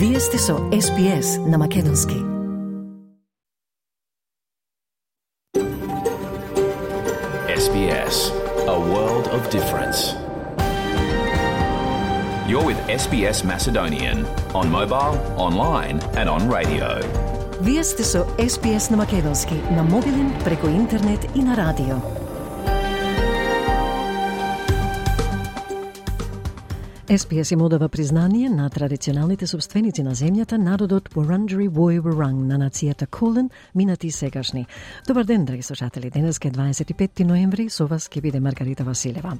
Вие сте со SPS на Македонски. SBS, a world of difference. You're with SBS Macedonian on mobile, online and on radio. Вие сте со SPS на Македонски на мобилен, преку интернет и на радио. SPS им одава признание на традиционалните собственици на земјата, народот Wurundjeri Woi Wurrung на нацијата Kulin, минати и сегашни. Добар ден, драги слушатели. Денеска е 25 ноември, со вас ќе биде Маргарита Василева.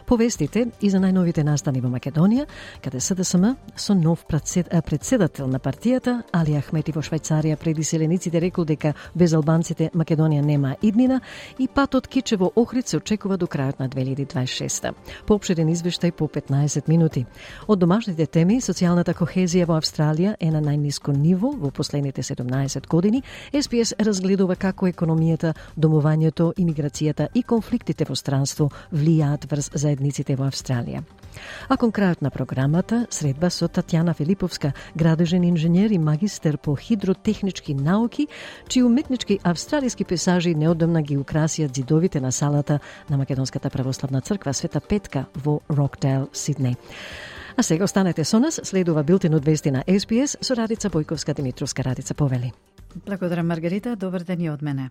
Повестите и за најновите настани во Македонија, каде СДСМ со нов председател на партијата, Али Ахмети во Швајцарија пред иселениците рекол дека без албанците Македонија нема иднина и патот Кичево Охрид се очекува до крајот на 2026. Поопширен извештај по 15 минути. Од домашните теми, социјалната кохезија во Австралија е на најниско ниво во последните 17 години. SPS разгледува како економијата, домувањето, имиграцијата и конфликтите во странство влијаат врз заедниците во Австралија. А кон крајот на програмата, средба со Татјана Филиповска, градежен инженер и магистер по хидротехнички науки, чии уметнички австралиски пейзажи неодамна ги украсија ѕидовите на салата на Македонската православна црква Света Петка во Рокдейл, Сиднеј. А сега останете со нас, следува билтен од вести на SPS со Радица Бојковска-Димитровска. Радица, повели. Благодарам, Маргарита. Добар ден и од мене.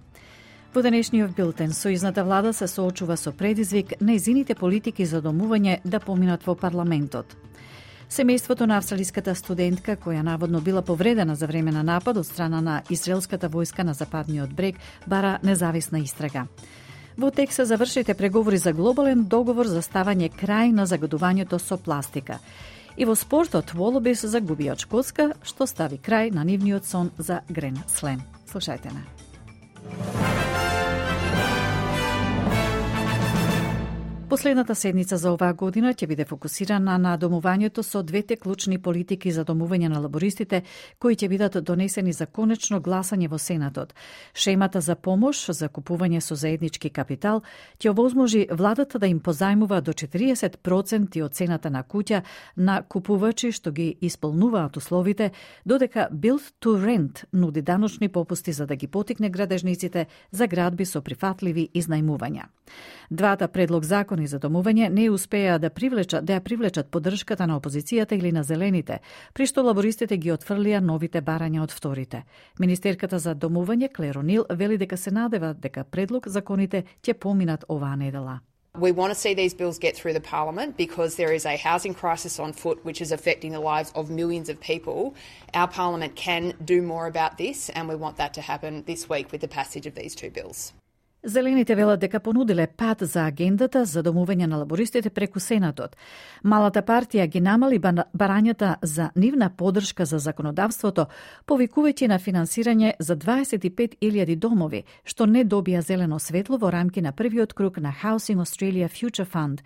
Во денешниот билтен, сојузната влада се соочува со предизвик нејзините политики за домување да поминат во парламентот. Семејството на австралиската студентка, која наводно била повредена за време на напад од страна на израелската војска на западниот брег, бара независна истрага. Во Тексас завршите преговори за глобален договор за ставање крај на загадувањето со пластика. И во спортот Волобис загуби од Шкотска, што стави крај на нивниот сон за Грен Слем. Слушајте на. Последната седница за оваа година ќе биде фокусирана на домувањето со двете клучни политики за домување на лабористите кои ќе бидат донесени за конечно гласање во Сенатот. Шемата за помош за купување со заеднички капитал ќе овозможи владата да им позајмува до 40% од цената на куќа на купувачи што ги исполнуваат условите, додека Build to Rent нуди даночни попусти за да ги потикне градежниците за градби со прифатливи изнајмувања. Двата предлог закони за домување не успеа да ја привлечат поддршката на опозицијата или на зелените, при што лабористите ги отфрлија новите барања од вторите. Министерката за домување Клер О'Нил вели дека се надева дека предлог законите ќе поминат оваа недела. We want to see these bills get through the Parliament because there is a housing crisis on foot which is affecting the lives of millions of people. Our Parliament can do more about this and we want that to happen this week with the passage of these two bills. Зелените велат дека понудиле пат за агендата за домување на лабористите преку Сенатот. Малата партија ги намали барањата за нивна поддршка за законодавството, повикувајќи на финансирање за 25.000 домови, што не добија зелено светло во рамки на првиот круг на Housing Australia Future Fund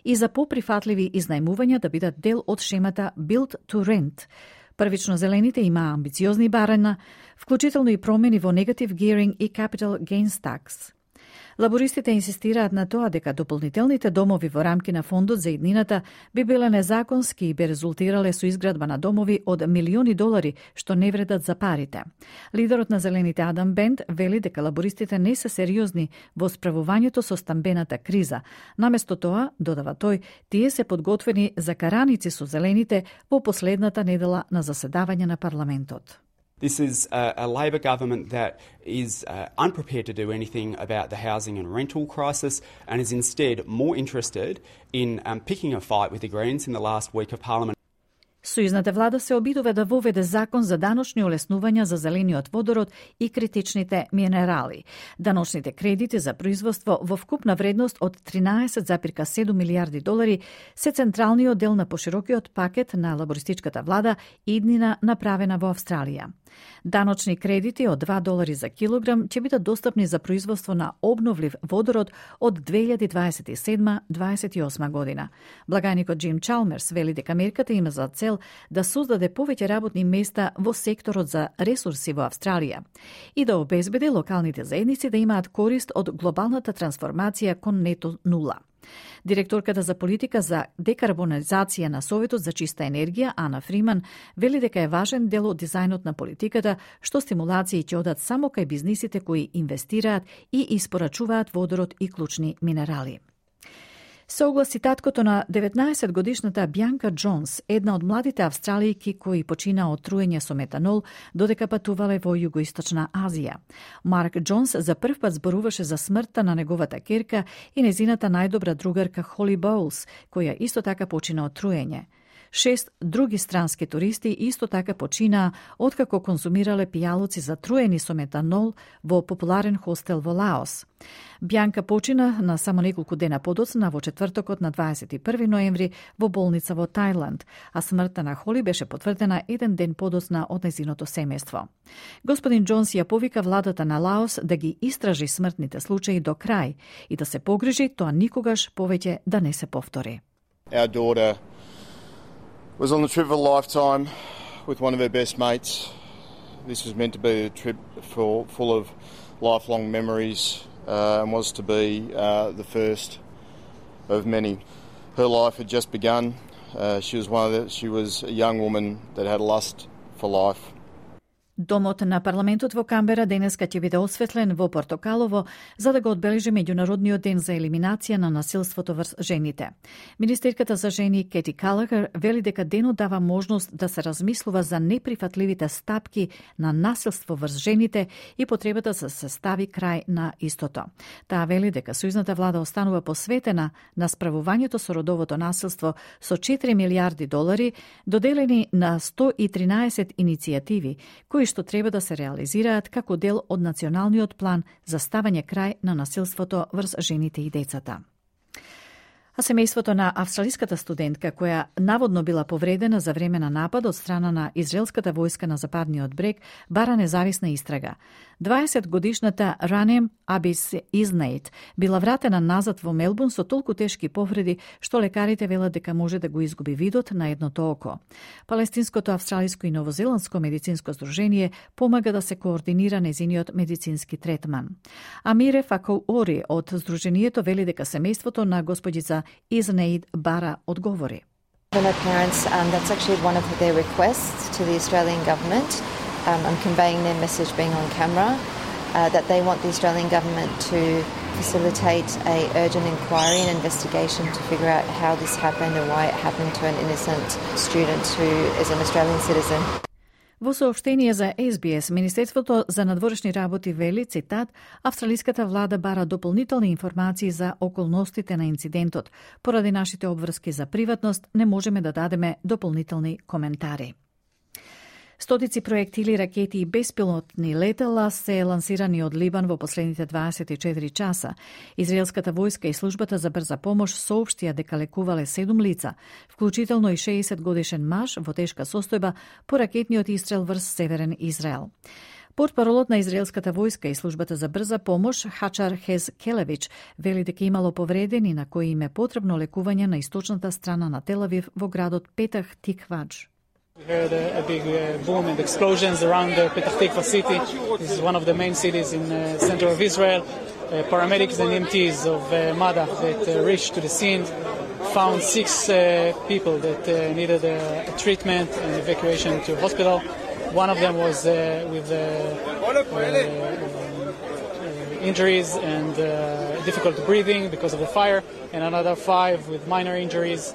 и за поприфатливи изнајмувања да бидат дел од шемата Build to Rent. Првично зелените имаа амбициозни барања, вклучително и промени во Negative Gearing и Capital Gains Tax. Лабористите инсистираат на тоа дека дополнителните домови во рамки на фондот за иднината би биле незаконски и би резултирале со изградба на домови од милиони долари, што не вредат за парите. Лидерот на зелените Адам Бент вели дека лабористите не се сериозни во справувањето со стамбената криза. Наместо тоа, додава тој, тие се подготвени за караници со зелените во последната недела на заседавање на парламентот. This is a Labor government that is unprepared to do anything about the housing and rental crisis and is instead more interested in picking a fight with the Greens in the last week of Parliament. Сојузната влада се обидува да воведе закон за даночни олеснувања за зелениот водород и критичните минерали. Даночните кредити за производство во вкупна вредност од 13,7 милијарди долари се централниот дел на поширокиот пакет на лабористичката влада иднина направена во Австралија. Даночни кредити од $2 за килограм ќе бидат достапни за производство на обновлив водород од 2027-28 година. Благајникот Джим Чалмерс вели дека мерката има за цел да создаде повеќе работни места во секторот за ресурси во Австралија и да обезбеди локалните заедници да имаат корист од глобалната трансформација кон нето нула. Директорката за политика за декарбонизација на Советот за чиста енергија, Ана Фриман, вели дека е важен дел од дизајнот на политиката, што стимулации ќе одат само кај бизнисите кои инвестираат и испорачуваат водород и клучни минерали. Се огласи таткото на 19-годишната Бјанка Джонс, една од младите австралијки кои почина од труење со метанол, додека патувале во Југоисточна Азија. Марк Джонс за прв пат зборуваше за смртта на неговата керка и незината најдобра другарка Холи Боулс, која исто така почина од труење. 6 други странски туристи исто така починаа откако конзумирале пијалоци затруени со метанол во популарен хостел во Лаос. Бјанка почина на само неколку дена подоцна во четвртокот на 21 ноември во болница во Тајланд, а смртта на Холи беше потврдена еден ден подоцна од незиното семејство. Господин Джонс ја повика владата на Лаос да ги истражи смртните случаи до крај и да се погрижи тоа никогаш повеќе да не се повтори. Our daughter was on the trip of a lifetime with one of her best mates. This was meant to be a trip full of lifelong memories and was to be the first of many. Her life had just begun. She was a young woman that had a lust for life. Домот на парламентот во Камбера денеска ќе биде осветлен во Портокалово за да го одбележи меѓународниот ден за елиминација на насилството врз жените. Министерката за жени Кети Калагер вели дека денот дава можност да се размислува за неприфатливите стапки на насилство врз жените и потребата да се стави крај на истото. Таа вели дека сојузната влада останува посветена на справувањето со родовото насилство со $4 милиарди доделени на 113 иницијативи кои што треба да се реализираат како дел од националниот план за ставање крај на насилството врз жените и децата. А семејството на австралиската студентка, која наводно била повредена за време на напад од страна на израелската војска на западниот брег, бара независна истрага. 20-годишната Ранем Абис Изнейт била вратена назад во Мелбурн со толку тешки повреди што лекарите велат дека може да го изгуби видот на едното око. Палестинското, австралиско и новозеландско медицинско здружение помага да се координира незиниот медицински третман. Амире Факоуори од здружението вели дека семејството на господица Изнейт бара одговори. For her parents, that's actually one of their requests to the Australian government. I'm conveying their message being on camera, that they want the Australian government to facilitate a urgent inquiry and investigation to figure out how this happened and why it happened to an innocent student who is an Australian citizen. Во соопштение за SBS, Министерството за надворешни работи вели, цитат, австралиската влада бара дополнителни информации за околностите на инцидентот. Поради нашите обврски за приватност, не можеме да дадеме дополнителни коментари. Стотици проектили, ракети и беспилотни летала се лансирани од Либан во последните 24 часа. Израелската војска и службата за брза помош соопштија дека лекувале 7 лица, вклучително и 60-годишен маж во тешка состојба по ракетниот истрел врз северен Израел. Портпаролот на израелската војска и службата за брза помош Хачар Хез Келевич вели дека имало повредени на кои им е потребно лекување на источната страна на Тел Авив во градот Петах Тиквадж. We heard a big boom and explosions around Petah Tikva city. This is one of the main cities in the center of Israel. Paramedics and EMTs of MADA that reached to the scene found 6 people that needed treatment and evacuation to hospital. One of them was with injuries and difficult breathing because of the fire, and another 5 with minor injuries.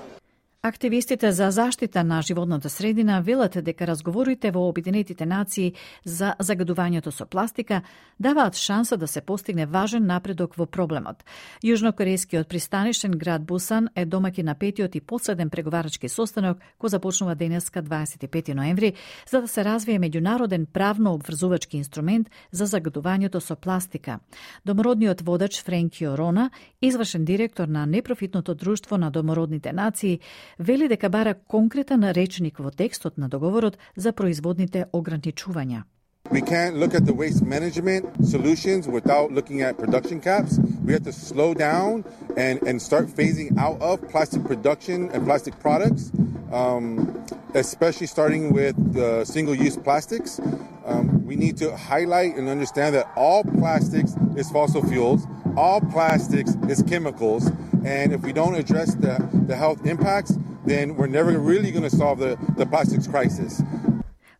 Активистите за заштита на животната средина велат дека разговорите во Обединетите нации за загадувањето со пластика даваат шанса да се постигне важен напредок во проблемот. Јужнокорејскиот пристанишен град Бусан е домаќин на петиот и последен преговарачки состанок кој започнува денеска 25 ноември за да се развие меѓународен правно обврзувачки инструмент за загадувањето со пластика. Домородниот водач Френкио Рона, извршен директор на непрофитното друштво на домородните нации, вели дека бара конкретен речник во текстот на договорот за производните ограничувања. We can't look at the waste management solutions without looking at production caps. We have to slow down and start phasing out of plastic production and plastic products, especially starting with single-use plastics. We need to highlight and understand that all plastics is fossil fuels, all plastics is chemicals, And if we don't address the health impacts, then we're never really going to solve the plastics crisis.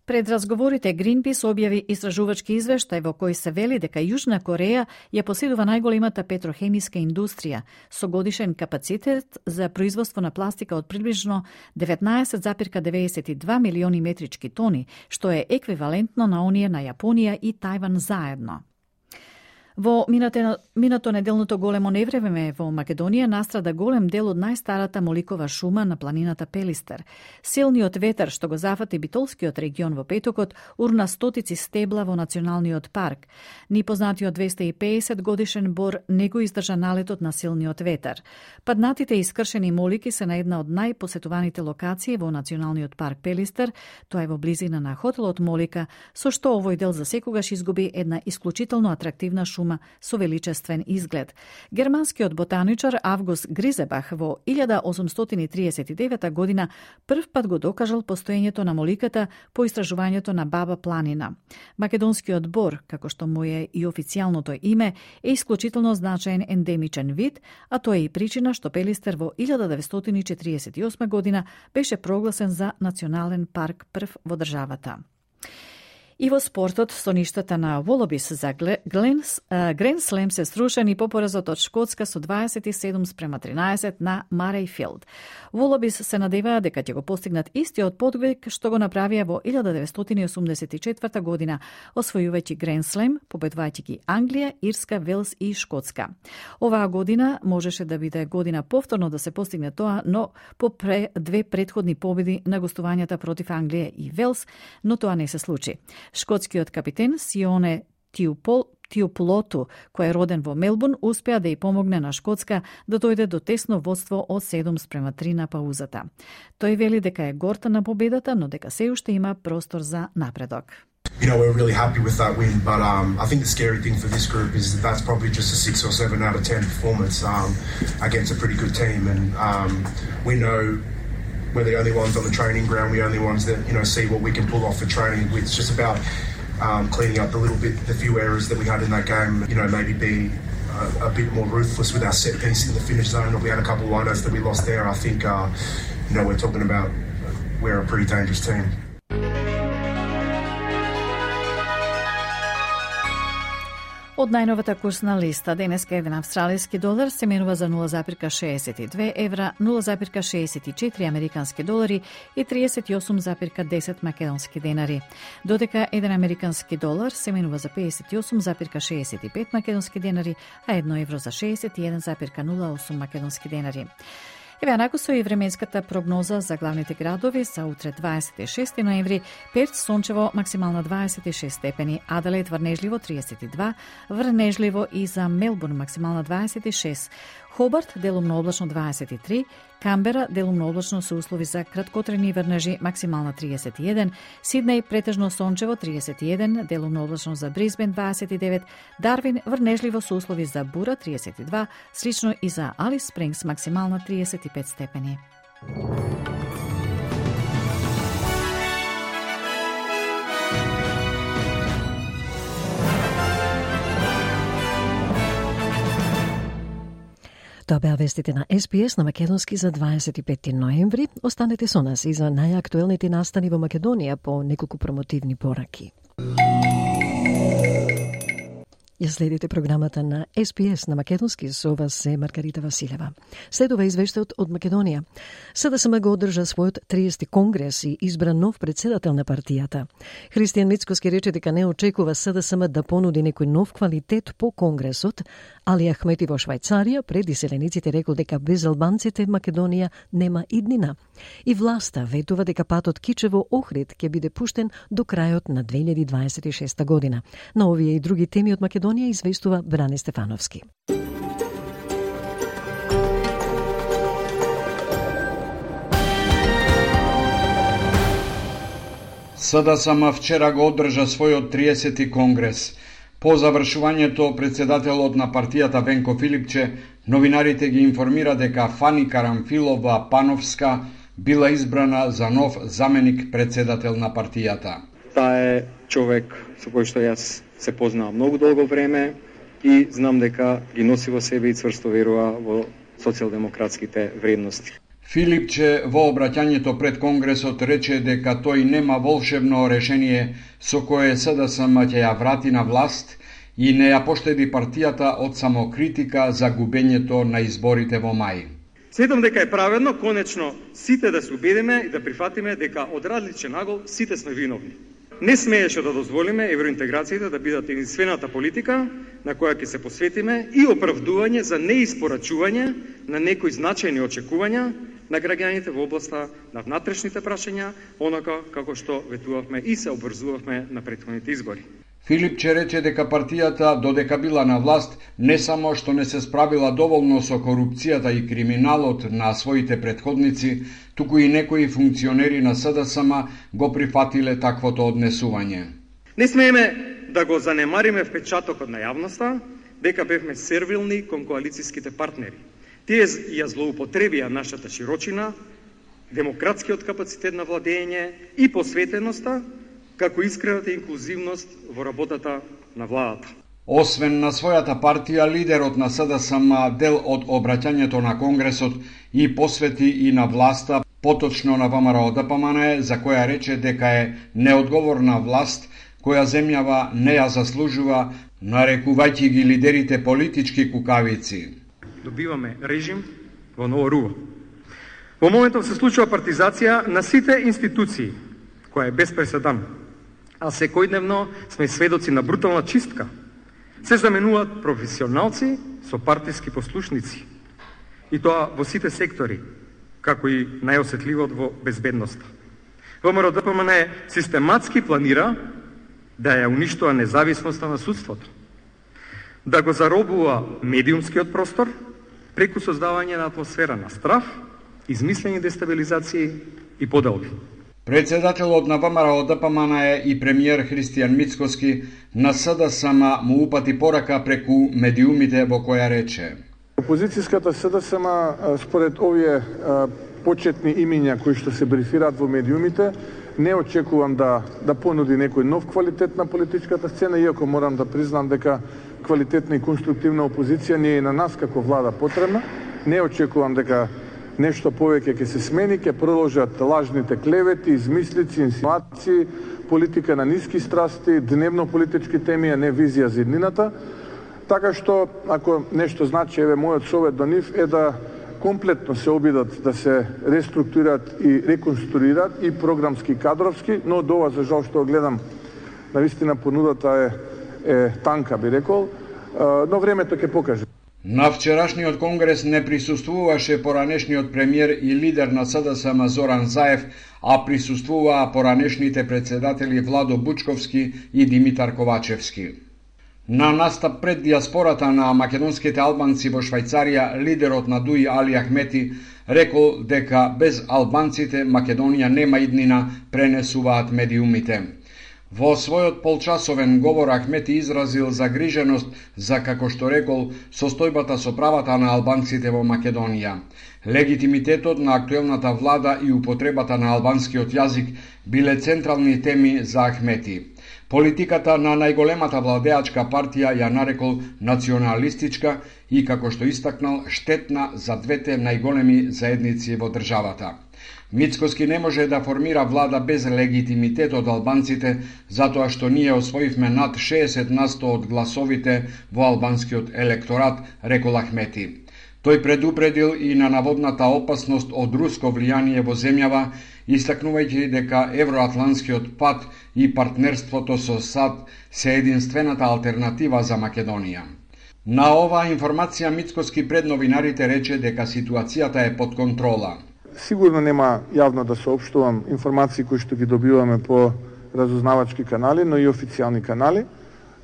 Пред разговорите Greenpeace објави истражувачки извештај во кој се вели дека Јужна Кореја ја поседува најголемата петрохемиска индустрија со годишен капацитет за производство на пластика од приближно 19,92 милиони метрички тони, што е еквивалентно на оние на Јапонија и Тајван заедно. Во минато неделното големо невреме во Македонија настрада голем дел од најстарата моликова шума на планината Пелистер. Силниот ветер што го зафати битолскиот регион во петокот урна стотици стебла во националниот парк. Ни познатиот 250 годишен бор не го издржа налетот на силниот ветер. Паднатите и искршени молики се на една од најпосетуваните локации во националниот парк Пелистер, тоа е во близина на хотелот Молика, со што овој дел засекогаш изгуби една исклучително атрактивна шума со величествен изглед. Германскиот ботаничар Август Гризебах во 1839 година прв пат го докажал постоењето на моликата по истражувањето на Баба планина. Македонскиот бор, како што му е и официјалното име, е исклучително значаен ендемичен вид, а тоа е и причина што Пелистер во 1948 година беше прогласен за национален парк прв во државата. И во спортот, со ништата на Волобис за Грен Слем се срушени по поразот од Шкотска со 27-13 на Марејфилд. Волобис се надеваа дека ќе го постигнат истиот подвиг што го направија во 1984 година, освојувајќи Грен Слем, победувајќи ги Англија, Ирска, Велс и Шкотска. Оваа година можеше да биде година повторно да се постигне тоа, но по две претходни победи на гостувањата против Англија и Велс, но тоа не се случи. Шкотскиот капитен Сионе Тиопулоту, кој е роден во Мелбурн, успеа да ја помогне на Шкотска да дојде до тесно водство од 7-3 на паузата. Тој вели дека е горта на победата, но дека се уште има простор за напредок. You know, we're really happy with that win, but I think the scary thing for this group is that that's probably just a 6 or 7 out of 10 performance against a pretty good team, and we know we're the only ones on the training ground. We're the only ones that, you know, see what we can pull off for training. It's just about cleaning up the few errors that we had in that game. You know, maybe be a bit more ruthless with our set piece in the finish zone. We had a couple of lineouts that we lost there. I think, you know, we're talking about we're a pretty dangerous team. Од најновата курсна листа, денеска еден австралиски долар се менува за 0,62 евра, 0,64 американски долари и 38,10 македонски денари. Додека еден американски долар се менува за 58,65 македонски денари, а 1 евро за 61,08 македонски денари. Еве анакусо и временската прогноза за главните градови за утре 26 ноември. Перт сончево, максимална 26 степени, Аделаид врнежливо 32, врнежливо и за Мелбурн максимална 26, Хобарт делумно облачно 23, Камбера делумно облачно со услови за краткотрени врнежи максимална 31, Сиднеј претежно сончево 31, делумно облачно за Брисбен 29, Дарвин врнежливо со услови за бура 32, слично и за Алис Спрингс максимална 35 степени. Тоа беа вестите на СПС на македонски за 25 ноември. Останете со нас и за најактуелните настани во Македонија по неколку промотивни пораки. Ја следите програмата на СПС на македонски, со вас е Маргарита Василева. Следува извештајот од Македонија. СДСМ го одржа својот 30 конгрес и избра нов председател на партијата. Христијан Мицкоски рече дека не очекува СДСМ да понуди некој нов квалитет по конгресот. Али Ахмети во Швајцарија пред иселениците рекол дека без албанците Македонија нема иднина. И власта ветува дека патот Кичево-Охрид ќе биде пуштен до крајот на 2026 година. На овие и други теми од Македонија известува Бране Стефановски. СДСМ вчера го одржа својот 30-ти конгрес. По завршувањето, председателот на партијата Венко Филипче, новинарите ги информира дека Фани Карамфилова Пановска била избрана за нов заменик председател на партијата. Таа е човек со кој што јас се познавам многу долго време и знам дека ги носи во себе и цврсто верува во социјалдемократските вредности. Филипче во обраќањето пред Конгресот рече дека тој нема волшебно решение со кое СДСМ ќе ја врати на власт и не ја поштеди партијата од самокритика за губењето на изборите во мај. Сметам дека е праведно конечно сите да се убедиме и да прифатиме дека од различен агол сите сме виновни. Не смееше да дозволиме евроинтеграциите да бидат единствената политика на која ќе се посветиме и оправдување за неиспорачување на некои значајни очекувања на граѓаните во областа на внатрешните прашања, онака како што ветувавме и се обврзувавме на претходните избори. Филипче рече дека партијата, додека била на власт, не само што не се справила доволно со корупцијата и криминалот на своите претходници, туку и некои функционери на СДСМ го прифатиле таквото однесување. Не смееме да го занемариме впечатокот на јавноста дека бевме сервилни кон коалицијските партнери. Тие ја злоупотребија нашата широчина, демократскиот капацитет на владење и посветеноста, како искрената инклузивност во работата на владата. Освен на својата партија, лидерот на СДСМ дел од обраќањето на Конгресот и посвети и на власта, поточно на ВМРО ДПМН, за која рече дека е неодговорна власт, која земјава не ја заслужува, нарекувајќи ги лидерите политички кукавици. Добиваме режим во ново руво. Во моментов се случува партизација на сите институции, која е без преседан. А секојдневно сме сведоци на брутална чистка. Се заменуваат професионалци со партиски послушници. И тоа во сите сектори, како и најосетливот во безбедноста. ВМРО ДПМН систематски планира да ја уништува независноста на судството, да го заробува медиумскиот простор преку создавање на атмосфера на страв, измислени дестабилизации и поделби. Председателот на ВМРО ДПМН и премиер Христијан Мицкоски на СДСМ му упати порака преку медиумите во која рече: Опозицијската СДСМ според овие почетни имиња кои што се брифираат во медиумите, не очекувам да понуди некој нов квалитет на политичката сцена, иако морам да признам дека квалитетна и конструктивна опозиција не е на нас како влада потребна. Не очекувам дека нешто повеќе ќе се смени, ќе продолжат лажните клевети, измислици, инсинуации, политика на ниски страсти, дневно политички теми, а не визија за иднината. Така што, ако нешто значи, еве, мојот совет до нив е да комплетно се обидат да се реструктурират и реконструират и програмски, кадровски, но до ова, за жал што гледам, навистина понудата е танка, би рекол, но времето ќе покаже. На вчерашниот конгрес не присуствуваше поранешниот премиер и лидер на СДСМ Зоран Заев, а присуствуваа поранешните председатели Владо Бучковски и Димитар Ковачевски. На настап пред диаспората на македонските албанци во Швајцарија, лидерот на ДУИ Али Ахмети рекол дека без албанците Македонија нема иднина, пренесуваат медиумите. Во својот полчасовен говор Ахмети изразил загриженост за, како што рекол, состојбата со правата на албанците во Македонија. Легитимитетот на актуелната влада и употребата на албанскиот јазик биле централни теми за Ахмети. Политиката на најголемата владеачка партија ја нарекол националистичка и, како што истакнал, штетна за двете најголеми заедници во државата. Мицкоски не може да формира влада без легитимитет од албанците, затоа што ние освоивме над 60% од гласовите во албанскиот електорат, рекол Ахмети. Тој предупредил и на наводната опасност од руско влијание во земјава, истакнувајќи дека евроатланскиот пат и партнерството со САД се единствената алтернатива за Македонија. На оваа информација Мицкоски пред новинарите рече дека ситуацијата е под контрола. Сигурно нема јавно да соопштувам информации кои што ги добиваме по разузнавачки канали, но и официјални канали,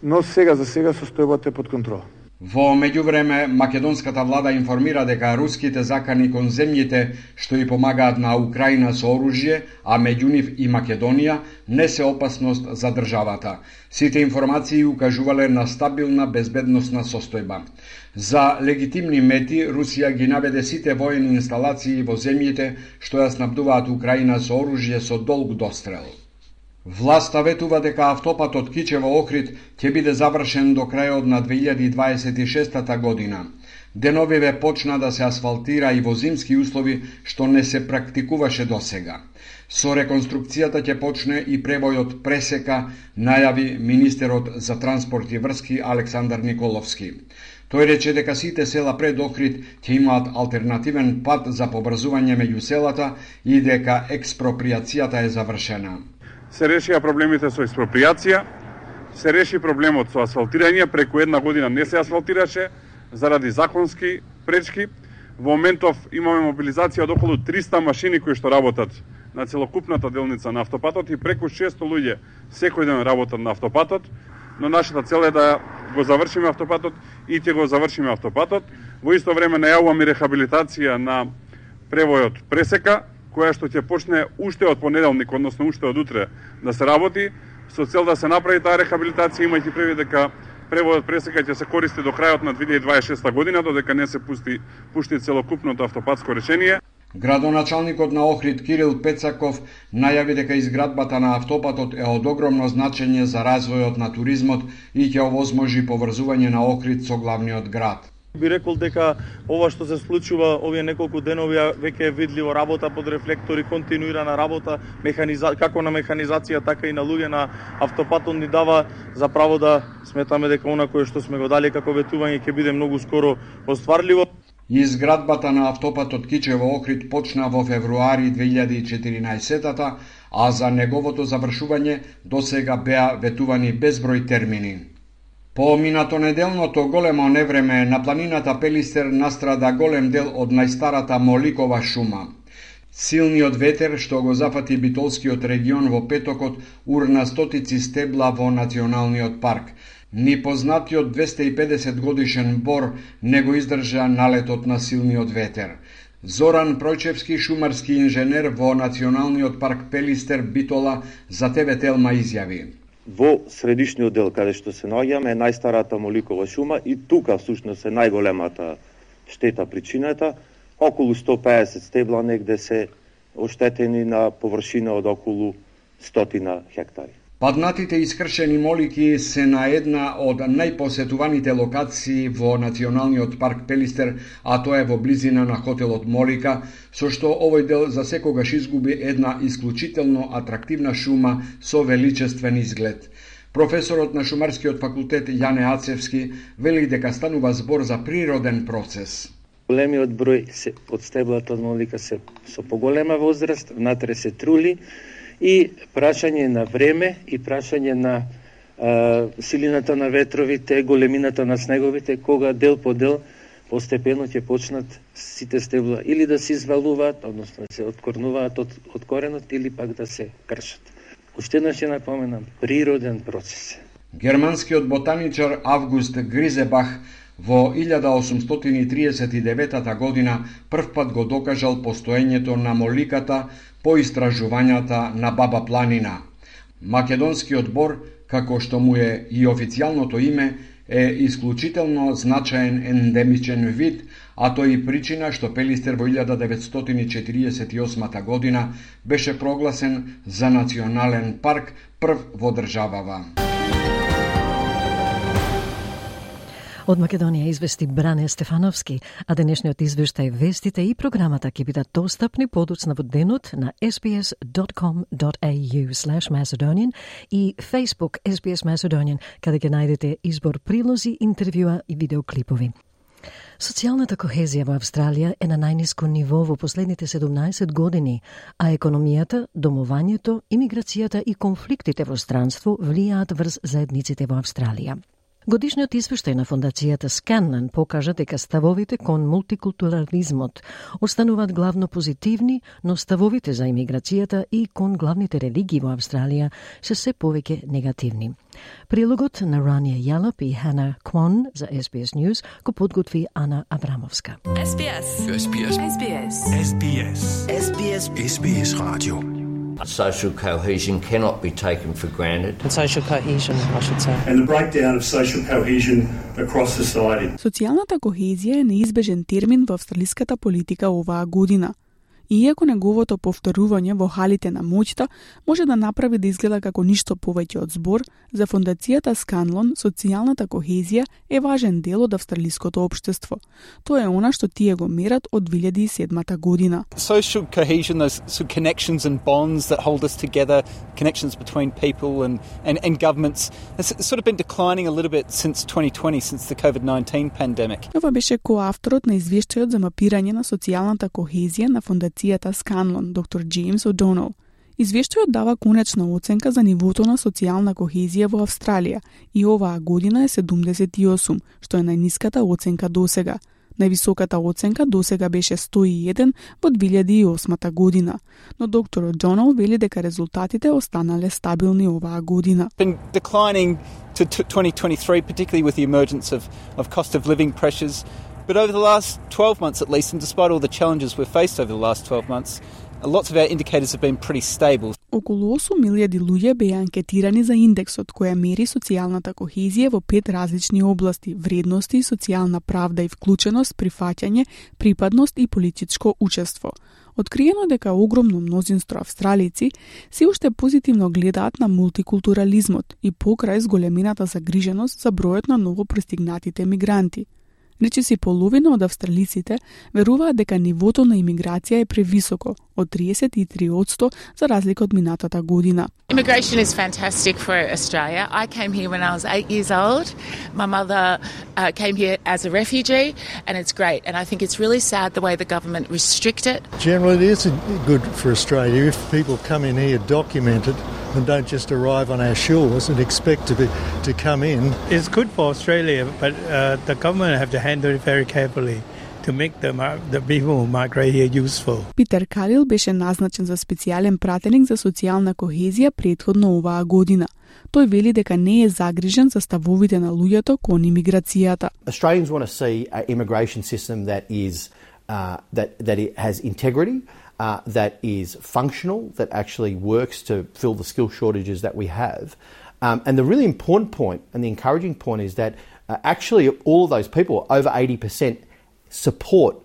но за сега состојбата е под контрола. Во меѓувреме, македонската влада информира дека руските закани кон земјите што и помагаат на Украина со оружје, а меѓу нив и Македонија, не се опасност за државата. Сите информации укажувале на стабилна безбедносна состојба. За легитимни мети, Русија ги наведе сите воени инсталации во земјите што ја снабдуваат Украина со оружје со долг дострел. Власта ветува дека автопатот Кичево-Охрид ќе биде завршен до крајот на 2026 година. Деновиве почна да се асфалтира и во зимски услови, што не се практикуваше досега. Со реконструкцијата ќе почне и превојот пресека, најави министерот за транспорт и врски Александар Николовски. Тој рече дека сите села пред Охрид ќе имаат алтернативен пат за побрзување меѓу селата и дека експроприацијата е завршена. Се решија проблемите со експроприација, се реши проблемот со асфалтирање, преку една година не се асфалтираше заради законски пречки. Во моментов имаме мобилизација од околу 300 машини кои што работат на целокупната делница на автопатот и преку 600 луѓе секој ден работат на автопатот, но нашата цел е да го завршиме автопатот и ќе го завршиме автопатот. Во исто време најавуваме рехабилитација на превојот пресека, која што ќе почне уште од понеделник, односно уште од утре да се работи, со цел да се направи таа рехабилитација, имајќи предвид дека превојот пресека ќе се користи до крајот на 2026 година, додека не се пушти целокупното автопатско решение. Градоначалникот на Охрид Кирил Пецаков најави дека изградбата на автопатот е од огромно значење за развојот на туризмот и ќе овозможи поврзување на Охрид со главниот град. Би рекол дека ова што се случува овие неколку денови веќе е видливо, работа под рефлектори, континуирана работа, како на механизација, така и на луѓе на автопатот ни дава за право да сметаме дека она кое што сме го дали како ветување ќе биде многу скоро остварливо. Изградбата на автопатот Кичево-Охрид почна во февруари 2014, а за неговото завршување досега беа ветувани безброј термини. По минато неделното големо невреме на планината Пелистер настрада голем дел од најстарата Моликова шума. Силниот ветер што го зафати Битолскиот регион во петокот урна стотици стебла во националниот парк. Ни познатиот 250 годишен бор не го издржа налетот на силниот ветер. Зоран Пројчевски, шумарски инженер во Националниот парк Пелистер Битола, за ТВ Телма изјави: Во средишниот дел каде што се наоѓаме е најстарата Моликова шума и тука всушност е најголемата штета причината. Околу 150 стебла негде се оштетени на површина од околу 100 хектари. Паднатите искршени молики се на една од најпосетуваните локации во Националниот парк Пелистер, а тоа е во близина на хотелот Молика, со што овој дел за секогаш изгуби една исклучително атрактивна шума со величествен изглед. Професорот на Шумарскиот факултет Јане Ацевски вели дека станува збор за природен процес. Големиот број од стеблата од Молика се со поголема возраст, внатре се трули, и прашање на време и прашање на силината на ветровите, големината на снеговите, кога дел по дел постепено ќе почнат сите стебла или да се извалуваат, односно да се откорнуваат од коренот, или пак да се кршат. Уште еднаш ќе напоменам, природен процес. Германскиот ботаничар Август Гризебах во 1839 година првпат го докажал постоењето на моликата по истражувањата на Баба Планина. Македонскиот бор, како што му е и официјалното име, е исклучително значаен ендемичен вид, а тој и причина што Пелистер во 1948 година беше прогласен за национален парк, прв во државава. Од Македонија извести Бране Стефановски, а денешниот извештај, вестите и програмата ќе бидат достапни подоцна во денот на sbs.com.au/Macedonian и Facebook SBS Macedonian, каде ќе најдете избор прилози, интервјуа и видеоклипови. Социјалната кохезија во Австралија е на најниско ниво во последните 17 години, а економијата, домувањето, имиграцијата и конфликтите во странство влијаат врз заедниците во Австралија. Годишниот извештај на фондацијата Scanlon покажа дека ставовите кон мултикултурализмот остануваат главно позитивни, но ставовите за имиграцијата и кон главните религии во Австралија се се повеќе негативни. Прилогот на Рания Јалап и Хана Квон за SBS News го подготви Ана Абрамовска. SBS. SBS. SBS. SBS. SBS. SBS Radio. Social cohesion cannot be taken for granted. And social cohesion, I should say. And the breakdown of social cohesion across society. Социјалната кохезија е неизбежен термин во австралиската политика оваа година. Иако неговото повторување во халите на моќта може да направи да изгледа како ништо повеќе од збор, за фондацијата Scanlon социјалната кохезија е важен дел од австралиското општество. Тоа е она што тие го мерат од 2007 година. Social cohesion, those sort of connections and bonds that hold us together, connections between people and governments, has sort of been declining a little bit since 2020, since the COVID-19 pandemic. Ова беше коавторот на извештајот за мапирање на социјалната кохезија на фондацијата Scanlon, доктор Джеймс О'Донел. Извештајот дава конечна оценка за нивото на социјална кохезија во Австралија и оваа година е 78, што е најниската оценка досега. Највисоката оценка досега беше 101 во 2008 година, но доктор О'Донел вели дека резултатите останале стабилни оваа година. Been declining to 2023, particularly with the emergence of cost of living pressures, but over the last 12 months at least, and despite all the challenges we've faced over the last 12 months, lots of our indicators have been pretty stable. Околу 8.000 луѓе беа анкетирани за индексот која мери социјалната кохезија во 5 различни области: вредности, социјална правда и вклученост, прифаќање, припадност и политичко учество. Откриено дека огромно мнозинство австралици се уште позитивно гледаат на мултикултурализмот и покрај зголемената загриженост за бројот на новопристигнатите мигранти. Речиси половина од австралиците веруваат дека нивото на имиграција е превисоко, од 33% за разлика од минатата година. Immigration is fantastic for Australia. I came here when I was 8 years old. My mother came here as a refugee, and it's great. And I think it's really sad the way the government restrict it. Generally, it is good for Australia if people come in here documented and don't just arrive on our shores and expect to come in. It's good for Australia, but the government have to handle it very carefully to make the people who migrate here useful. Питер Калил беше назначен за специјален пратеник за социјална кохезија претходно оваа година. Тој вели дека не е загрижен за ставовите на луѓето кон имиграцијата. Australians want to see an immigration system that is that it has integrity, that is functional, that actually works to fill the skill shortages that we have. And the really important point and the encouraging point is that actually all of those people, over 80%, support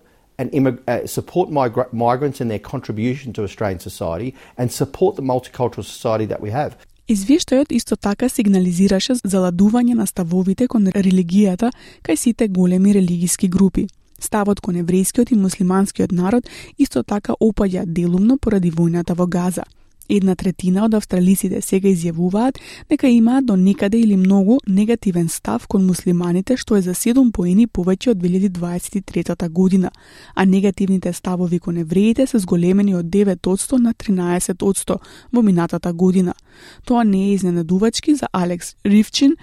migrants and their contribution to Australian society and support the multicultural society that we have. Извештајот исто така сигнализираше заладување на ставовите кон религијата кај сите големи религиски групи. Ставот кон еврејскиот и муслиманскиот народ исто така опаѓа делумно поради војната во Газа. 1/3 од австралиците сега изјавуваат дека имаат до некаде или многу негативен став кон муслиманите, што е за 7 поени повеќе од 2023 година, а негативните ставови кон евреите се зголемени од 9% на 13% во минатата година. Тоа не е изненадувачки за Алекс Ривчин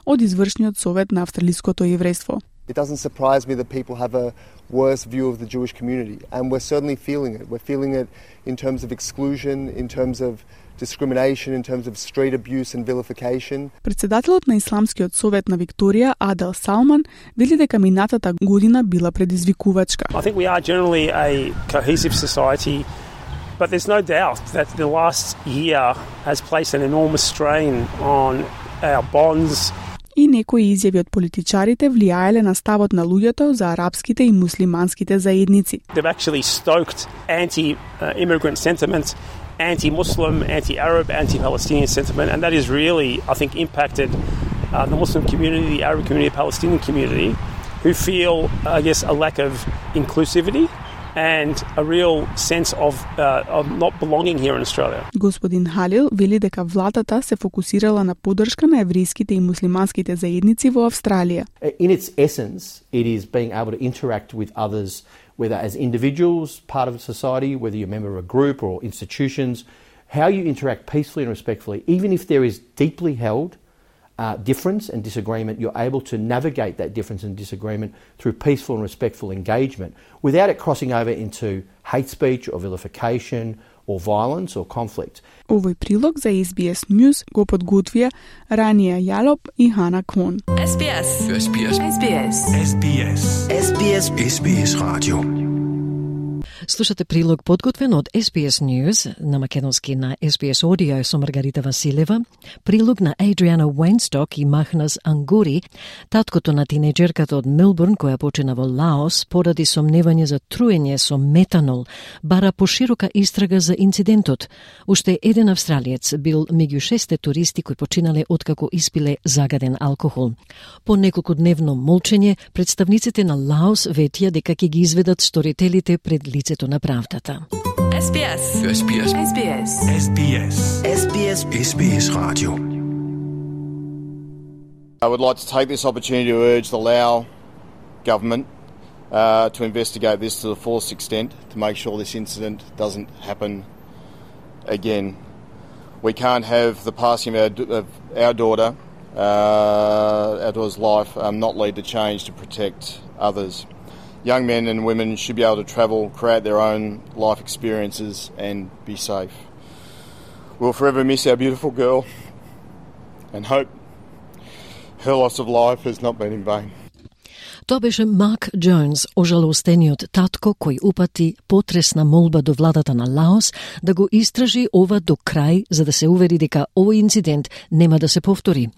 од извршниот совет на австралиското еврејство. It doesn't surprise me that people have a worse view of the Jewish community, and we're certainly feeling it. We're feeling it in terms of exclusion, in terms of discrimination, in terms of street abuse and vilification. Председателот на Исламскиот совет на Викторија, Адел Салман, вели дека минатата година била предизвикувачка. I think we are generally a cohesive society, but there's no doubt that the last year has placed an enormous strain on our bonds. И некои изјави од политичарите влијаеле на ставот на луѓето за арапските и муслиманските заедници. They've actually stoked anti-immigrant sentiment, anti-Muslim, anti-Arab, anti-Palestinian sentiment, and that has really, I think, impacted the Muslim community, the Arab community, the Palestinian community, who feel, I guess, a lack of inclusivity and a real sense of not belonging here in Australia. Господин Халил вели дека владата се фокусирала на поддршка на еврејските и муслиманските заедници во Австралија. In its essence, it is being able to interact with others, whether as individuals, part of society, whether you're a member of a group or institutions, how you interact peacefully and respectfully, even if there is deeply held difference and disagreement, you're able to navigate that difference and disagreement through peaceful and respectful engagement without it crossing over into hate speech or vilification or violence or conflict. Овој прилог за SBS News го подготвија Рания Јалоп и Хана Кон. SBS. SBS. SBS. SBS. SBS Radio. Слушате прилог подготвен од SBS News на македонски на SBS Audio со Маргарита Василева. Прилог на Адриана Уейнсток и Махнас Ангури, таткото на тинејџерката од Мелбурн која почина во Лаос поради сомневање за труење со метанол, бара поширока истрага за инцидентот. Уште еден австралиец бил меѓу 6 туристи кои починале откако испиле загаден алкохол. По неколкудневно молчење, представниците на Лаос ветија дека ќе ги изведат сторителите пред лицето на правдата. SBS. SBS. SBS. SBS. SBS. SBS Radio. I would like to take this opportunity to urge the Lao government to investigate this to the fullest extent to make sure this incident doesn't happen again. We can't have the passing of our daughter's life not lead to change to protect others. Young men and women should be able to travel, create their own life experiences and be safe. We'll forever miss our beautiful girl and hope her loss of life has not been in vain. Тоа беше Мак Джонс, ожалостениот татко кој упати потресна молба до владата на Лаос да го истражи ова до крај за да се увери дека овој инцидент нема да се повтори.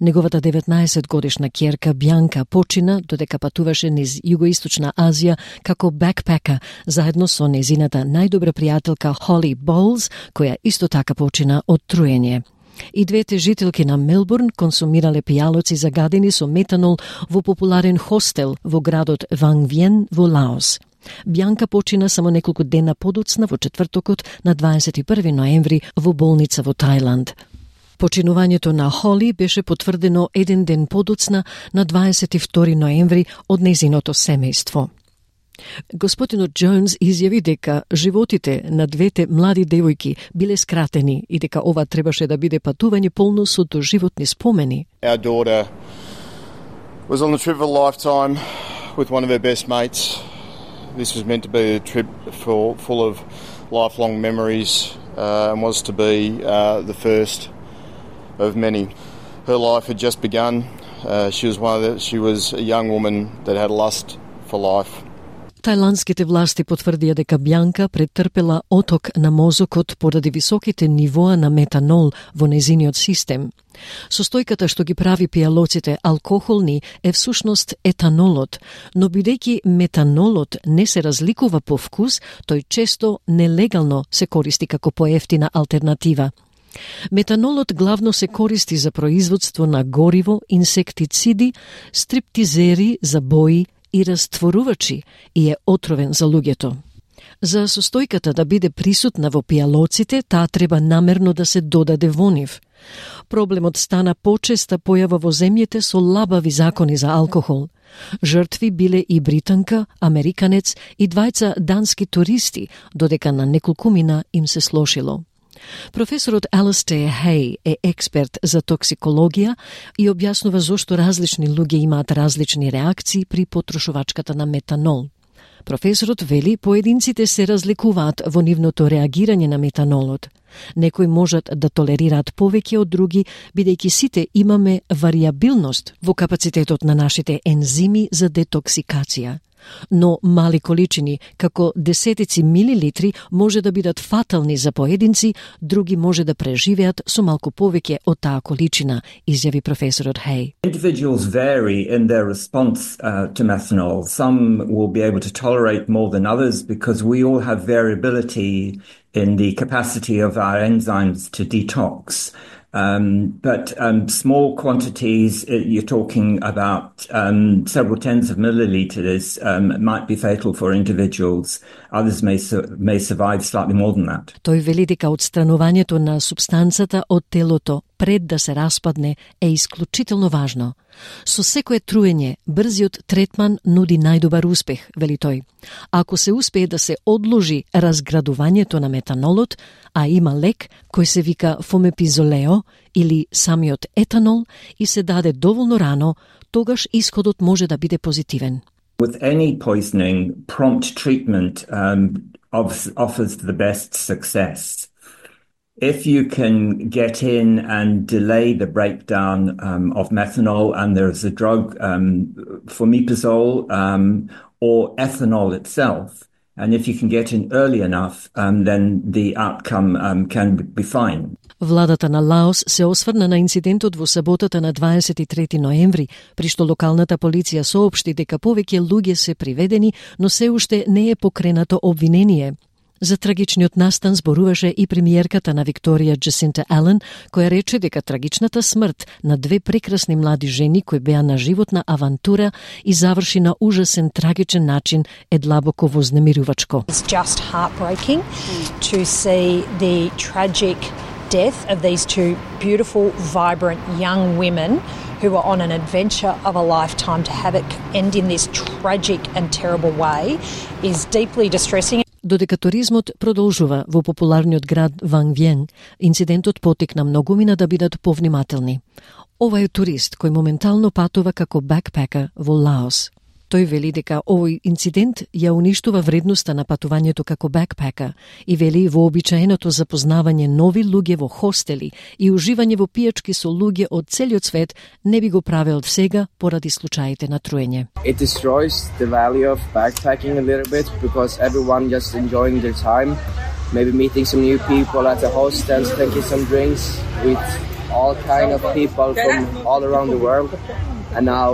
Неговата 19-годишна ќерка Бјанка почина додека патуваше низ Југоисточна Азија како бекпека заедно со незината најдобра пријателка Холли Болз, која исто така почина од труење. И двете жителки на Мелбурн консумирале пијалоци загадени со метанол во популарен хостел во градот Вангвиен во Лаос. Бјанка почина само неколку дена подоцна во четвртокот на 21 ноември во болница во Тајланд. Починувањето на Холи беше потврдено еден ден подоцна на 22 ноември од незиното семејство. Господинот Джонс изјави дека животите на двете млади девојки биле скратени и дека ова требаше да биде патување полно со доживотни спомени. Our daughter was on the trip of a lifetime with one of her best mates. This was meant to be a trip full of lifelong memories and was to be the first of many. Her life had just begun. She was a young woman that had a lust for life. Тајландските власти потврдија дека Бјанка претрпела оток на мозокот поради високите нивоа на метанол во незиниот систем. Состојката што ги прави пијалоците алкохолни е всушност етанолот, но бидејќи метанолот не се разликува по вкус, тој често нелегално се користи како поевтина алтернатива. Метанолот главно се користи за производство на гориво, инсектициди, стриптизери за бои и растворувачи и е отровен за луѓето. За состојката да биде присутна во пијалоците, таа треба намерно да се додаде во нив. Проблемот стана почеста појава во земјите со лабави закони за алкохол. Жртви биле и британка, американец и двајца дански туристи, додека на неколкумина им се слошило. Професорот Алистер Хеј е експерт за токсикологија и објаснува зошто различни луѓе имаат различни реакции при потрошувачката на метанол. Професорот вели поединците се разликуваат во нивното реагирање на метанолот. Некои можат да толерираат повеќе од други, бидејќи сите имаме варијабилност во капацитетот на нашите ензими за детоксикација. Но мали количини, како десетици милилитри, може да бидат фатални за поединци, други може да преживеат со малку повеќе од таа количина, изјави професорот Хеј. Individuals vary in their response to methanol. Some will be able to tolerate more than others because we all have variability in the capacity of our enzymes to detox. But small quantities, you're talking about several tens of milliliters, might be fatal for individuals. Others may survive slightly more than that. Тој вели дека отстранувањето на субстанцата од телото пред да се распадне е исклучително важно. Со секое труење, брзиот третман нуди најдобар успех, вели тој. Ако се успее да се одложи разградувањето на метанолот, а има лек кој се вика фомепизолео или самиот етанол и се даде доволно рано, тогаш исходот може да биде позитивен. With any poisoning, prompt treatment offers the best success. If you can get in and delay the breakdown of methanol, and there's a drug, fomepizole, or ethanol itself, And if you can get in early enough, then the outcome can be fine. Владата на Лаос се осврна на инцидентот во саботата на 23 ноември, при што локалната полиција соопшти дека повеќе луѓе се приведени, но се уште не е покренато обвинение. За трагичниот настан зборуваше и премиерката на Викторија Джасинта Ален, која рече дека трагичната смрт на две прекрасни млади жени кои беа на животна авантура и заврши на ужасен трагичен начин е длабоко вознемирувачко. It's just heartbreaking to see the tragic death of these two beautiful, vibrant young women who were on an adventure of a lifetime. To have it end in this tragic and terrible way is deeply distressing. Додека туризмот продолжува во популарниот град Ван Виен, инцидентот потикна многумина да бидат повнимателни. Ова е турист кој моментално патува како бекпекер во Лаос. Тој вели дека овој инцидент ја уништува вредноста на патувањето како бекпекер и вели вообичаеното запознавање нови луѓе во хостели и уживање во пијачки со луѓе од целиот свет не би го правел сега поради случаите на труење. It destroys the value of backpacking a little bit because everyone just enjoying their time, maybe meeting some new people at the hostels, taking some drinks with all kind of people from all around the world. And now,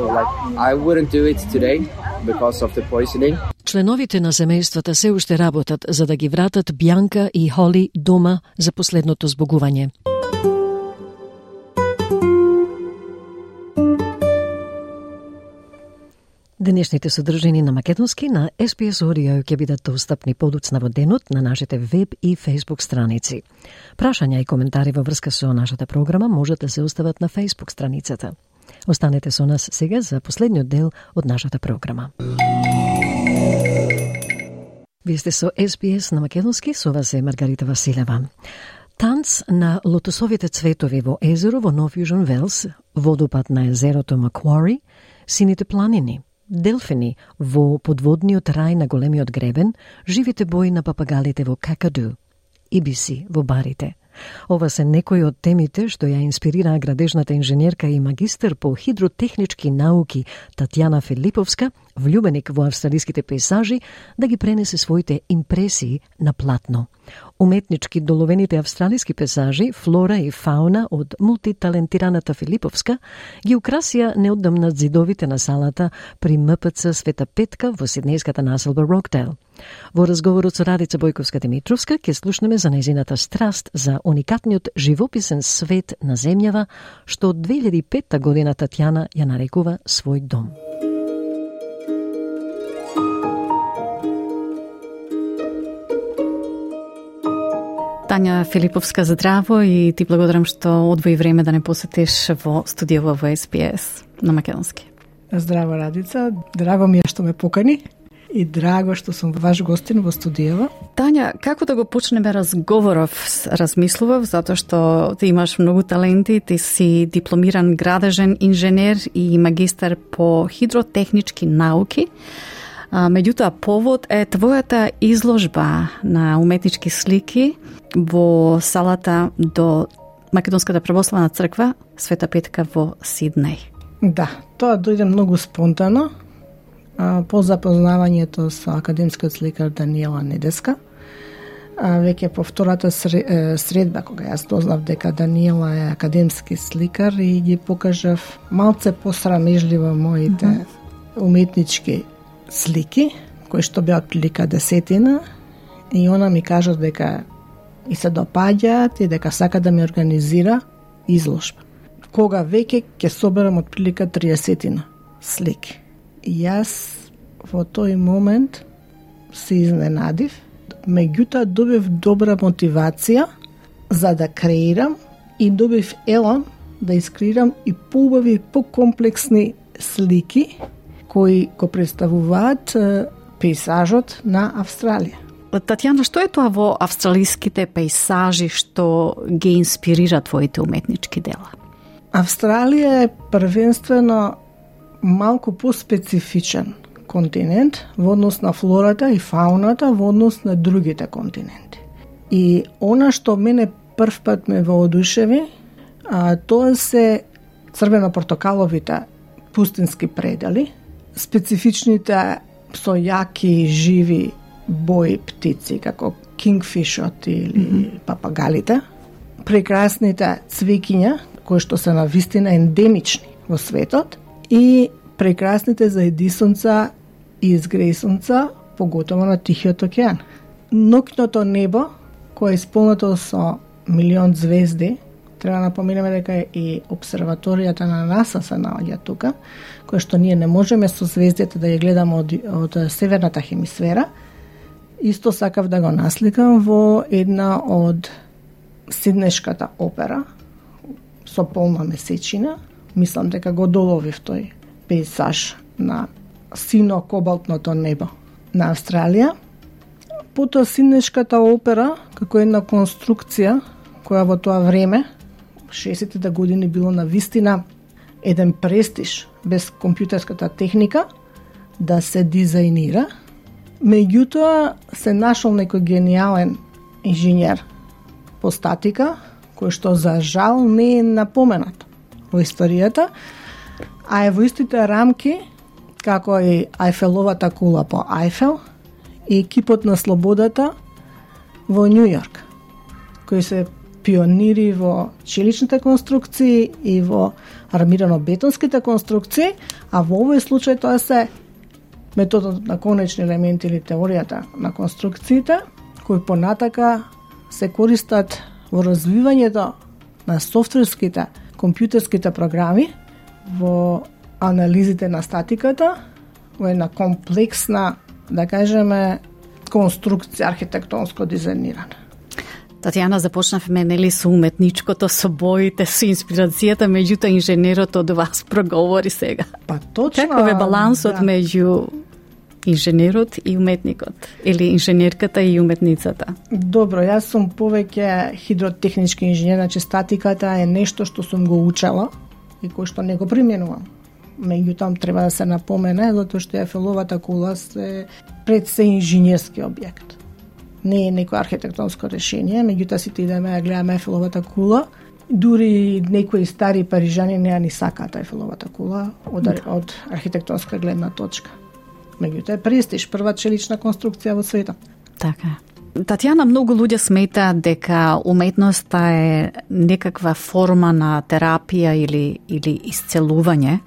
I wouldn't do it today because of the poisoning. Членовите на семејствата се уште работат за да ги вратат Бјанка и Холи дома за последното збогување. Денешните содржини на македонски на SPS Audio ќе бидат достапни подоцна во денот на нашите веб и Facebook страници. Прашања и коментари во врска со нашата програма можете да се остават на Facebook страницата. Останете со нас сега за последниот дел од нашата програма. Вие сте со SPS на македонски, со вас е Маргарита Василева. Танц на лотосовите цветови во езеро во Нов Јужен Велс, водопад на езерото Маквари, сините планини, делфини во подводниот рај на големиот гребен, живите бои на папагалите во Какаду, ибиси во барите. Ова се некои од темите што ја инспирира градежната инженерка и магистар по хидротехнички науки Татјана Филиповска, влюбеник во австралиските пейзажи, да ги пренесе своите импресии на платно. Уметнички доловените австралиски пейзажи, флора и фауна од мултиталентираната Филиповска ги украсија неодамна зидовите на салата при МПЦ Света Петка во сиднејската населба Рокдейл. Во разговорот со Радица Бојковска-Димитровска ќе слушнеме за нејзината страст за уникатниот живописен свет на земјава, што од 2005 година Татјана ја нарекува свој дом. Тања Филиповска, здраво и ти благодарам што одвои време да не посетиш во студијава во SPS на македонски. Здраво, Радица. Драго ми е што ме покани и драго што сум ваш гостин во студијава. Тања, како да го почнеме разговоров? Размислував, затоа што ти имаш многу таленти, ти си дипломиран градежен инженер и магистар по хидротехнички науки. Меѓутоа, повод е твојата изложба на уметнички слики во салата до Македонската православна црква Света Петка во Сиднеј. Да, тоа дојде многу спонтано по запознавањето со академскиот сликар Даниела Недеска. Веќе по втората средба, кога јас дознав дека Даниела е академски сликар и ги покажав малце посрамежливо моите уметнички слики, кои што беа отприлика 10, и она ми кажа дека и се допаѓаат и дека сака да ми организира изложба. Кога веќе ќе соберам отприлика 30 слики. И јас во тој момент се изненадив, меѓутоа добив добра мотивација за да креирам и добив елан да искреирам и поубави и покомплексни слики кои го представуваат пейзажот на Австралија. Татјана, што е тоа во австралиските пейзажи што ги инспирира твоите уметнички дела? Австралија е првенствено малку поспецифичен континент во однос на флората и фауната во однос на другите континенти. И она што мене прв пат ме воодушеви, тоа се црвено-портокаловите пустински предели, специфичните со јаки живи бои птици, како кингфишот или папагалите, прекрасните цвекиња, кои што се навистина ендемични во светот, и прекрасните заедисонца и изгресонца, поготово на Тихиот океан. Ноќното небо, кое е исполнето со милион звезди, треба да напоменеме дека и обсерваторијата на НАСА се наоѓа тука, која што ние не можеме со звездите да ја гледаме од северната хемисфера. Исто сакав да го насликам во една од Сиднешката опера со полна месечина. Мислам дека го доловив тој пейзаж на сино-кобалтното небо на Австралија. Потоа Сиднешката опера, како една конструкција, која во тоа време, 60-те години, било на вистина еден престиж без компјутерската техника да се дизајнира. Меѓутоа се нашол некој гениален инженер по статика, кој што за жал не е напоменат во историјата, а е во истите рамки како и Ајфеловата кула по Ајфел и кипот на слободата во Њу Јорк, кои се пионири во челичните конструкции и во армирано-бетонските конструкции, а во овој случај тоа се методот на конечни елементи или теоријата на конструкциите, кои понатака се користат во развивањето на софтверските, компјутерските програми, во анализите на статиката, во една комплексна, да кажеме, конструкција архитектонско дизајнирана. Татјана, започнавме нели со уметничкото, со боите, со инспирацијата, меѓутоа инженерот од вас проговори сега. Па точно. Каков е балансот меѓу инженерот и уметникот, или инженерката и уметницата? Добро, јас сум повеќе хидротехнички инженер, значи статиката е нешто што сум го учела и кој што не го применувам. Меѓутоа треба да се напомене, затоа што Ајфеловата кула се пред се инженерски објект. Не е некој архитектонско решение, меѓутоа сите идеме да гледаме Ајфеловата кула. Дури некои стари парижани не ја ни сакаат Ајфеловата кула од архитектонска гледна точка. Меѓутоа е престиж, прва челична конструкција во светот. Така. Татјана, многу луѓе сметаат дека уметноста е некаква форма на терапија или исцелување.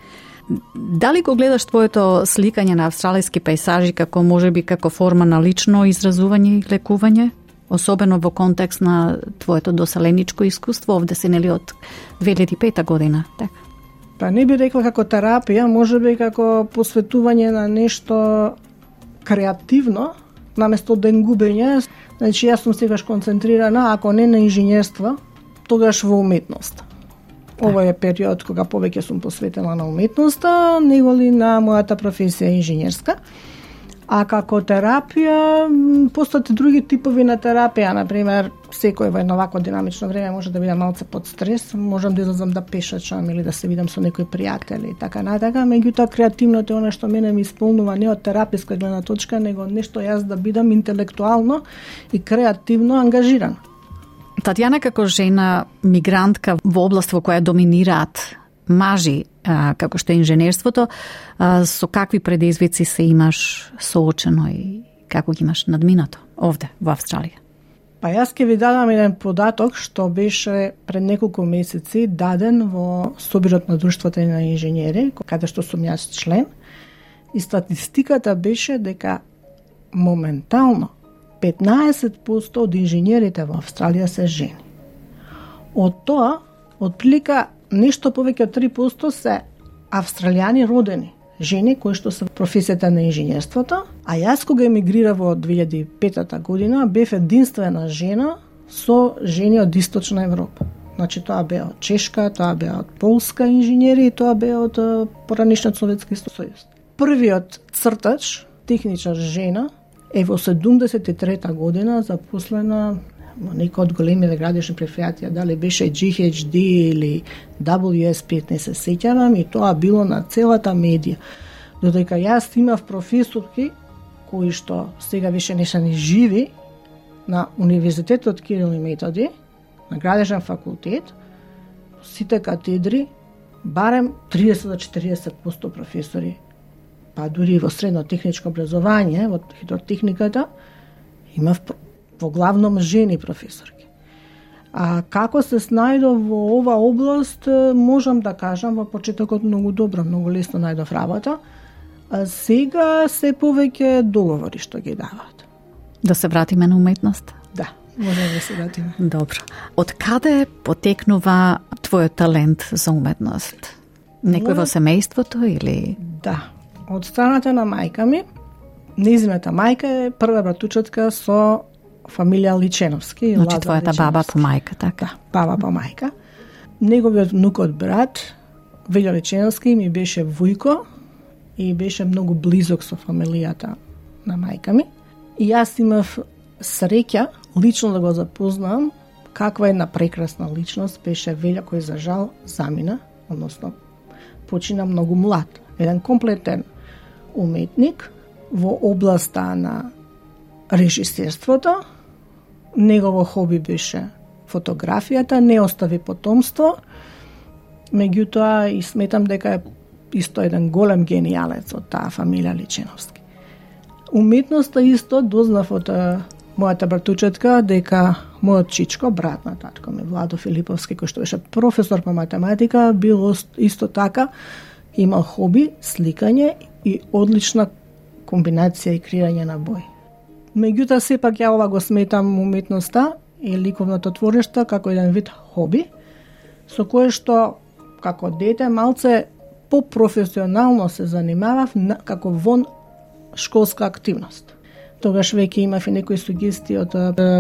Дали го гледаш твоето сликање на австралиски пейзажи како можеби како форма на лично изразување и лекување, особено во контекст на твоето доселеничко искуство, овде си нели од 2005 година, така? Па не би рекла како терапија, можеби како посветување на нешто креативно, наместо ден губење. Значи јас сум сегаш концентрирана, ако не на инженерство, тогаш во уметност. Ова е период кога повеќе сум посветена на уметноста, него ли на мојата професија инженерска. А како терапија, постојат други типови на терапија, например, секој во едно вакво динамично време може да биде малце под стрес, можам да излезам да пешачам или да се видам со некои пријатели и така натака, меѓутоа креативното е она што мене ми исполнува не од тераписка гледна точка, него нешто јас да бидам интелектуално и креативно ангажиран. Татјана, како жена мигрантка во област во која доминираат мажи, како што е инженерството, со какви предизвици се имаш соочено и како ги имаш надминато овде во Австралија? Па јас ќе ви дадам еден податок што беше пред неколку месеци даден во Собирот на друштвото на инженери, каде што сум јас член, и статистиката беше дека моментално 15% од инженерите во Австралија се жени. Од тоа, отприлика нешто повеќе од 3% се австралијани родени, жени кои што се професијата на инженерството, а јас кога емигрира во 2005 година бев единствена жена со жени од Источна Европа. Значи тоа беа од Чешка, тоа беа од Полска инженери и тоа беа од поранишниот Советски сојуз. Првиот цртач, техничар жена, е во 73 година запослена во некој од големите градишни предпријатија, дали беше GHD или WSP, не се сеќавам, и тоа било на целата медија. Додека јас имав професорки кои што сега више не се ни живи на Универзитетот Кирил и Методи, на градежен факултет, сите катедри, барем 30 до 40% професори па дури во средно техничко образование, во хидротехниката, имав во главном жени професорки. А како се снајдов во ова област, можам да кажам во почетокот многу добро, многу лесно најдов работа. А сега се повеќе договори што ги даваат. Да се вратиме на уметност? Да, можеме да се вратиме. Добро. Од каде потекнува твојот талент за уметност? Некој во семејството или? Да, од страната на мајка ми. Незината мајка е прва братучетка со фамилија Личеновски. Значи твојата баба по мајка, така? Да, баба по мајка. Неговиот внукот брат, Велјо Личеновски, ми беше вујко и беше многу близок со фамилијата на мајка ми. И јас имав среќа лично да го запознам каква една прекрасна личност беше Велјо, кој за жал замина, односно почина многу млад. Еден комплетен уметник во областа на режисерството. Негово хоби беше фотографијата, не остави потомство. Меѓутоа и сметам дека е исто еден голем генијалец од таа фамилија Личеновски. Уметноста исто дознав од мојата братучетка дека мојот чичко, брат на татко ми, Владо Филиповски, кој што беше професор по математика, бил исто така, имал хоби, сликање и одлична комбинација и креирање на бои. Меѓутоа, сепак ја ова го сметам уметноста и ликовното твориште како еден вид хоби, со кое што, како дете, малце попрофесионално се занимавав како вон школска активност. Тогаш веќе имав и некои сугестии од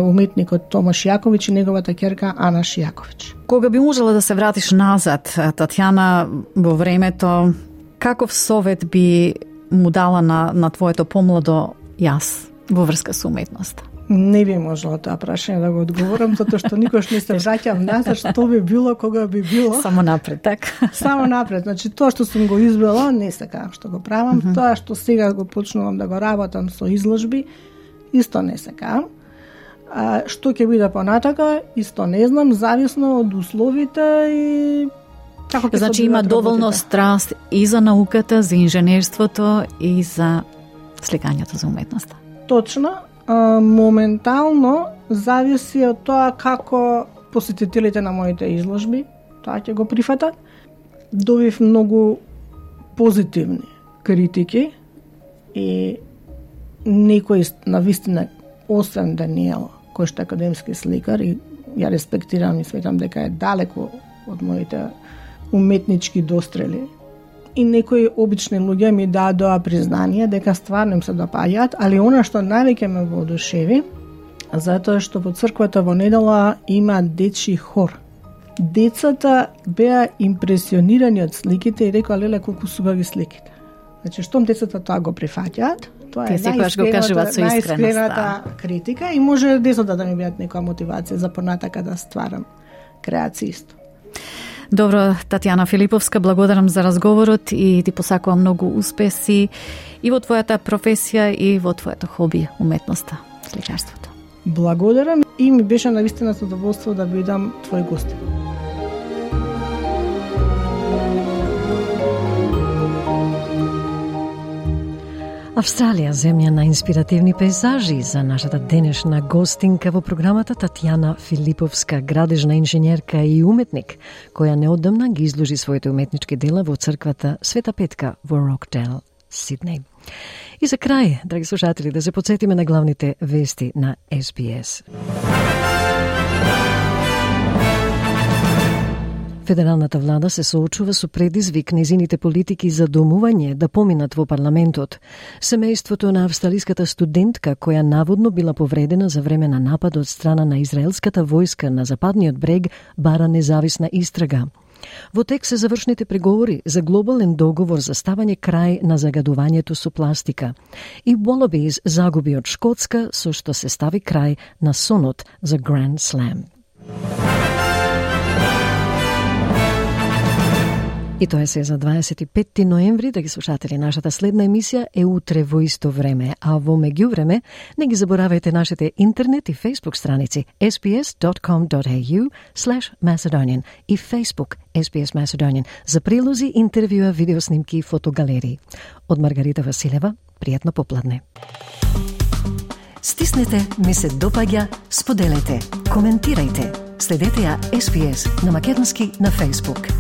уметникот Томаш Јаковиќ и неговата ќерка Ана Шијаковиќ. Кога би можела да се вратиш назад, Татјана, во времето, каков совет би му дала на твоето помладо јас во врска со уметноста? Не би можела тоа прашање да го одговорам, затоа што никош не се враќам назад, што би било, кога би било. Само напред, така? Само напред. Значи, тоа што сум го избрала, не сакам што го правам. Тоа што сега го почнувам да го работам со изложби, исто не сакам. Што ќе биде понатака, исто не знам, зависно од условите и како ќе се. Значи, има доволно страст и за науката, за инженерството и за сликањето за уметноста. Точно. Моментално зависи од тоа како посетителите на моите изложби тоа ќе го прифатат. Добив многу позитивни критики и некои навистина, освен Даниел, кој што е академски сликар и ја респектирам и сметам дека е далеко од моите уметнички дострели. И некои обични луѓе ми дадоа признание дека стварно им се допаѓаат, али она што највеќе ме воодушеви, затоа што во црквата во недела има дечи хор. Децата беа импресионирани од сликите и рекоа, леле, колку субави сликите. Значи, штом децата тоа го прифаќаат, тоа е најискрената критика и може децата да ми бидат некоја мотивација за понатака да стварам креација исто. Добро, Татјана Филиповска, благодарам за разговорот и ти посакувам многу успеси и во твојата професија и во твоето хоби, уметноста, сликарството. Благодарам и ми беше навистина задоволство да бидам твој гост. Австралија, земја на инспиративни пейзажи, за нашата денешна гостинка во програмата Татјана Филиповска, градежна инженерка и уметник, која неодамна ги изложи своите уметнички дела во црквата Света Петка во Рокдейл, Сиднеј. И за крај, драги слушатели, да се подсетиме на главните вести на SBS. Федералната влада се соочува со предизвик незините политики за домување да поминат во парламентот. Семејството на австралиската студентка, која наводно била повредена за време на напад од страна на израелската војска на западниот брег, бара независна истрага. Во тек се завршните преговори за глобален договор за ставање крај на загадувањето со пластика. И Wallabies загуби од Шкотска, со што се стави крај на сонот за Grand Slam. И тоа се за 25 ноември, да ги слушатели. Нашата следна емисија е утре во исто време, а во меѓувреме не ги заборавајте нашите интернет и Facebook страници sbs.com.au/Macedonian и Facebook SBS Macedonian за прилози, интервјуа, видеоснимки и фотогалерии. Од Маргарита Василева, пријатно попладне. Стиснете, ми се допаѓа, споделете, коментирајте. Следете ја SBS на македонски на Facebook.